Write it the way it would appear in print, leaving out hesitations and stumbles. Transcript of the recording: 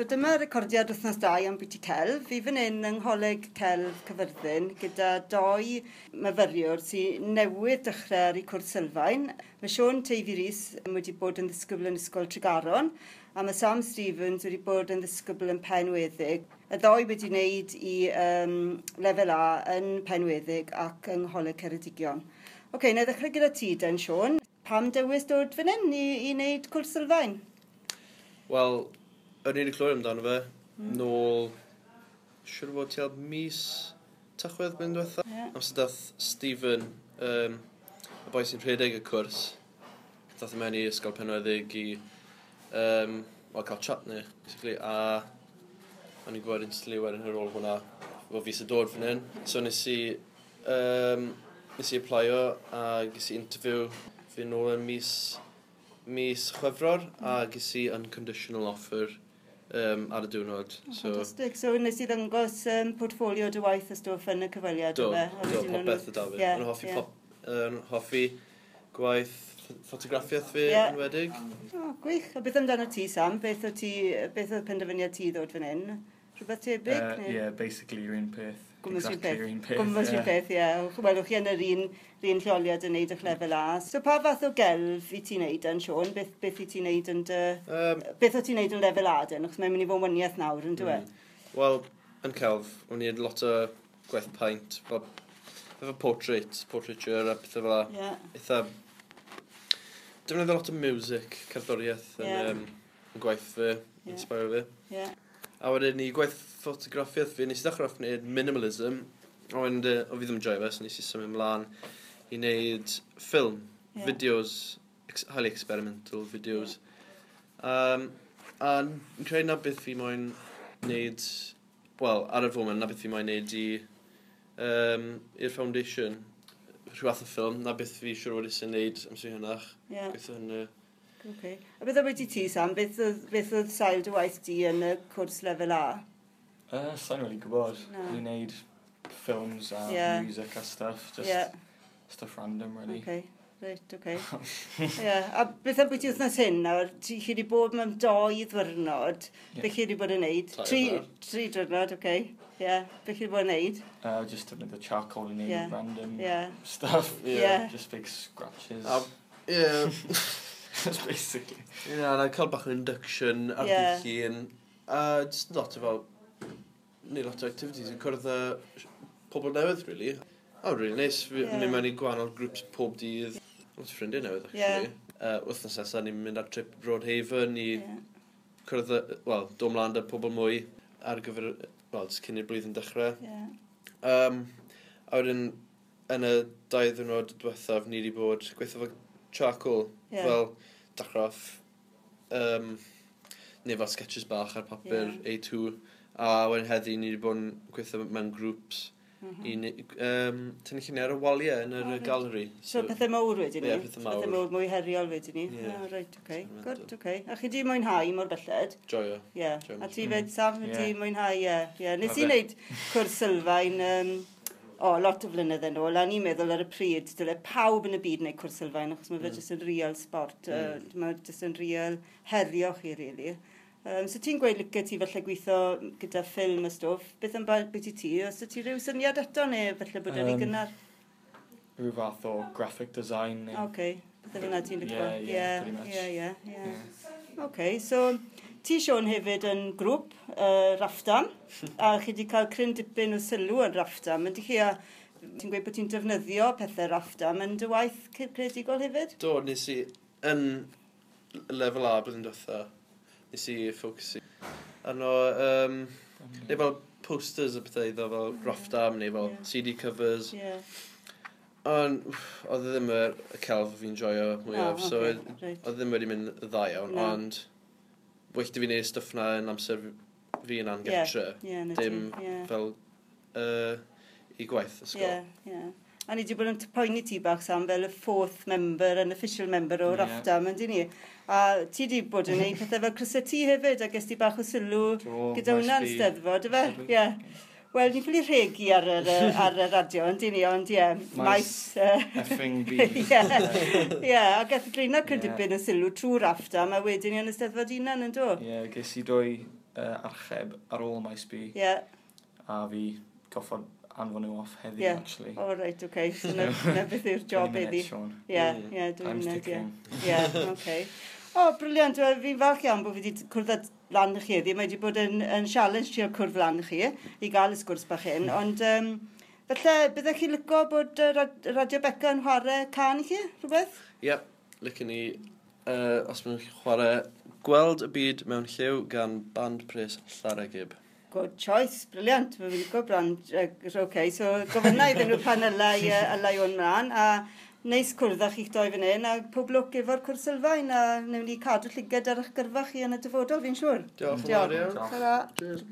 So dyma recordiad wythnos 2 am biti celf. Fi fan hyn yng Ngholeg Celf Caerfyrddin gyda doi myfyriwr sy'n newydd dechrau ar eu cwrs sylfaen. Mae Siôn Teifi Rees wedi bod yn ddisgybl yn Ysgol Tregaron a mae Sam Stevens wedi bod yn ddisgybl yn Penweddig. Y ddoi wedi wneud i lefel A yn Penweddig ac yng Ngholeg Ceredigion. Oce, okay, na i ddechrau gyda ti den, Siôn. Pam dewis dod fan hyn i wneud cwrs sylfaen? Wel, o'n i wedi clywed amdano fe nôl, siŵr o fod tua mis Tachwedd blwyddyn diwetha. Amser dath Stephen, y boi sy'n rhedeg y cwrs, dath e mewn i Ysgol Penweddig i well, cael chat ni, basically, a o'n i'n gwybod instantly wedyn ar ôl hwnna, fod fi eisiau dod fan hyn. So nes i applio a ges i interview fi nôl yn mis Chwefror a ges i unconditional offer ar y diwrnod. Oh, so, fantastic. So nes i ddangos portfolio dy waith a stwff yn y cyfweliad? Do, do, popeth o da fi. O'n hoffi, hoffi gwaith ffotograffiaeth fi enwedig. Oh, gwych. A beth amdano ti, Sam? Beth oedd ti, beth oedd penderfyniad ti ddod fan hyn? Rhywbeth tebyg? Yeah, basically yr un peth. Gwmws un peth. Gwmws un peth, ie. Wel, chi yn yr un lleoliad yn neud eich lefel A. So pa fath o gelf i ti'n neud yn, Siôn? Beth i ti'n neud yn dy... Beth o ti'n neud yn lefel A, den? Achos mae'n mynd i fod yn waniaeth nawr, yn dwi? Wel, yn celf, o'n i'n lot o gwaith paint, fel efo portrait, portraiture a pethau fel 'a. Eitha... Defnyddio lot o music, cerddoriaeth yn, yn gwaith fi, inspire fi. A wedyn ni gwaith ffotograffiaeth fi, nes i ddechrau off wneud minimalism, ond o fi ddim yn joio fe, so nes i symud ymlaen i wneud ffilm, videos, highly experimental videos. A fi'n credu na beth fi moyn wneud, wel, ar y foment, na beth fi moyn wneud i'r foundation, rhyw fath o ffilm, na beth fi siŵr fod eisiau wneud amser hynach. Gweithio hynny. Okay. A beth am ti, Sam? Beth oedd sail dy waith di yn y cwrs lefel A? Sa'n really gwybod. No. Ni'n neud films a music a stuff. Just stuff random, really. Okay. Right, okay. Yeah. A beth am bwyty wythnos hyn nawr? Ti chi wedi bod mewn 2 ddiwrnod. Beth chi wedi bod yn neud? Tri diwrnod, okay. Yeah. Beth chi wedi bod yn neud? Just defnyddio charcoal i neud random stuff. Just big scratches. That's basically. Yeah, and I cael bach o induction ar dydd Llun. A just lot o fel, neud lot o activities yn cwrdd â pobl newydd, really. Oh, really nice. Fi mynd mewn i gwahanol groups pob dydd. Lot o ffrindiau newydd, actually. Wythnos nesaf, ni'n mynd ar trip Broadhaven i cwrdd, wel, dod mlaen â pobl mwy ar gyfer, wel, jyst cyn i'r blwyddyn dechrau. A wedyn, yn y 2 ddiwrnod diwethaf, ni wedi bod gweithio efo charcoal, fel dechrau off, neu fel sketches bach ar papur A2, a wedyn heddi ni wedi bod yn gweithio mewn groups i tynnu lluniau ar y waliau yn yr galeri. So pethau mawr wedyn ni? Ie, pethau mawr. Pethau mawr mwy heriol wedyn ni? Ie. Oh, right, okay. Experimental. Good, okay. A chi di mwynhau mor belled? Joio. Ie. Joio. A ti fed, Sam, ti mwynhau, ie. Ie. Nes i Ma' fe. wneud cwrs sylfaen, lot o flynydde yn ôl, a ni'n meddwl ar y pryd, dyle pawb yn y byd wneud cwrs sylfaen, achos mae fe jyst yn real sport, mae jyst yn real herio chi, really. So ti'n gweud licio ti falle gweithio gyda ffilm a stwff, beth am beth i ti? Oes ti rhyw syniad eto neu falle bod yn rhy gynnar? Rhyw fath o graphic design neu... Oce, beth yna ti'n licio? Yeah, yeah, pretty much. Ie, ie, ie. Oce, so ti, Siôn, hefyd yn grŵp Raffdam, a chi wedi cael cryn dipyn o sylw yn Raffdam. Ydych chi a ti'n gweud bod ti'n defnyddio pethau Raffdam yn dy waith creadigol hefyd? Do, nes i, yn lefel A blwyddyn diwetha, nes i ffocysu arno, neu fel posters a pethau iddo fel Raffdam, neu fel CD covers. Ond, oedd e ddim y celf fi'n joio mwyaf, so oedd ddim wedi mynd yn dda iawn, ond well da fi wneud stwff na yn amser fi yna'n gartre. Ie, na ti, Dim ie. fel i gwaith ysgol. Ie, ie. A ni wedi bod yn poeni ti bach, Sam, fel y fourth member, an official member o Raffdam, yndyn ni? A ti wedi bod yn gwneud pethau fel crysau T hefyd, a ges ti bach o sylw Do, gyda maes hwnna'n B. Steddfod, ife? Sylw. Ie. Wel, ni'n ffili rhegi ar y radio, yndyn ni, ond ie, Maes maes... Effing B. Ie, ie, a gath Dreina cryn Ie. dipyn o sylw trwy Raffdam, a wedyn ni yn y Steddfod hunan, yn do? Ie, ges i 2 archeb ar ôl Maes B. A fi goffod anfon nhw off heddi, actually. Oh, right, okay. So na, na beth yw'r job heddi. Ie, ie, dwi'n munud, ie. Ie, okay. O, oh, briliant. Fi'n falch iawn bod fi wedi cwrdd â lan chi heddi. Mae wedi bod yn challenge trio cwrdd lan chi i gael y sgwrs bach hyn. Ond falle, byddech chi licio bod Radio Beca yn chwarae can i chi, rhywbeth? Ie, yep, licen ni, os maen nhw'n chwarae Gweld y Byd Mewn Lliw gan Band Pres Llareggub. Good choice, briliant. Mae'n licio brand. Okay, so gofynna iddyn nhw pan ylai o'n mlaen. A neis cwrdd â chi'ch doi fan hyn, a pob lwc efo'r cwrs sylfaen, a newn ni cadw llygad ar eich gyrfa chi yn y dyfodol, fi'n siŵr. Diolch yn fawr iawn. Diolch. Cheers.